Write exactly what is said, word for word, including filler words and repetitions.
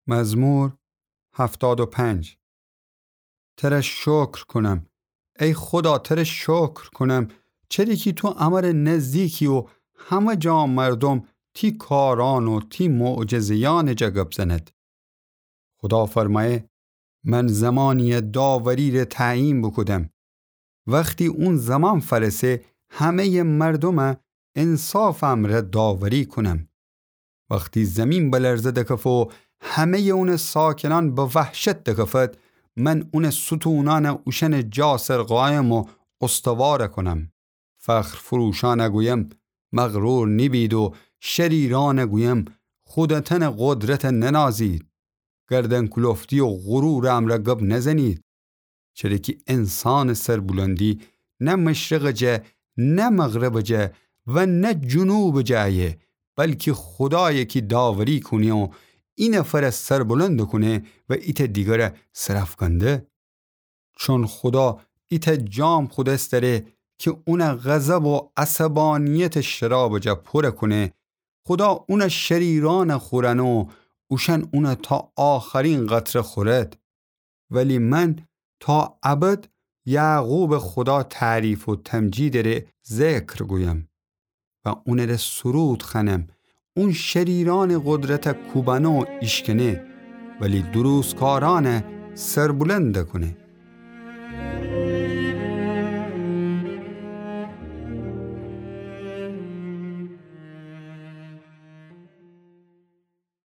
مزمور هفتاد و پنج. تره شکر کونم. ای خودا، تره شکر کونم، چره کی تو امره نزدیکی و همه جا مردم تی کاران و تی معجزه‌یأنٚ جا گب زند. خودا فرمایه: من زمانی‌یه داوری‌ره تعیین بوکودم. وختی اون زمان فأرسه، همه‌یٚ مردومه انصافٚ امرأ داوری کونم. وختی زیمین بلرزه دکفه و همه‌یٚ اونٚ ساکنأن به وحشت دکفد، من اونٚ ستونأنه اوشأنٚ جا سر قایم و استوار کونم. فخرفروشأنه گویم: مغرور نیبید و شریرأنه گویم: خودتأنٚ قدرته ننازید. گردن‌کلفتی و غرورٚ امرأ گب نزنید. چره کی انسانٚ سربلندی نه مشرقٚ جا، نه مغربٚ جا و نه جنوبٚ جا ایه، بلکی خودایه کی داوری کونه و اینه فره سربلند کونه و ایتأ دیگره سرأفکنده. چون خودا ایتأ جام خودس دأره کی اونٚ غضب و عصبانیتٚ شرابٚ جا پوره کونه، خودا اونٚ شریرأنه خورأنه و اوشأن اونه تا آخرین قطره خورد. ولی من تا ابد یعقوبٚ خودا تعریف و تمجیدٚ ره ذکر گویم و اونٚ ره سرود خوأنم. اون شریرأنٚ قدرته کوبأنه و ایشکنه، ولی درستکارأنه سربلند کونه.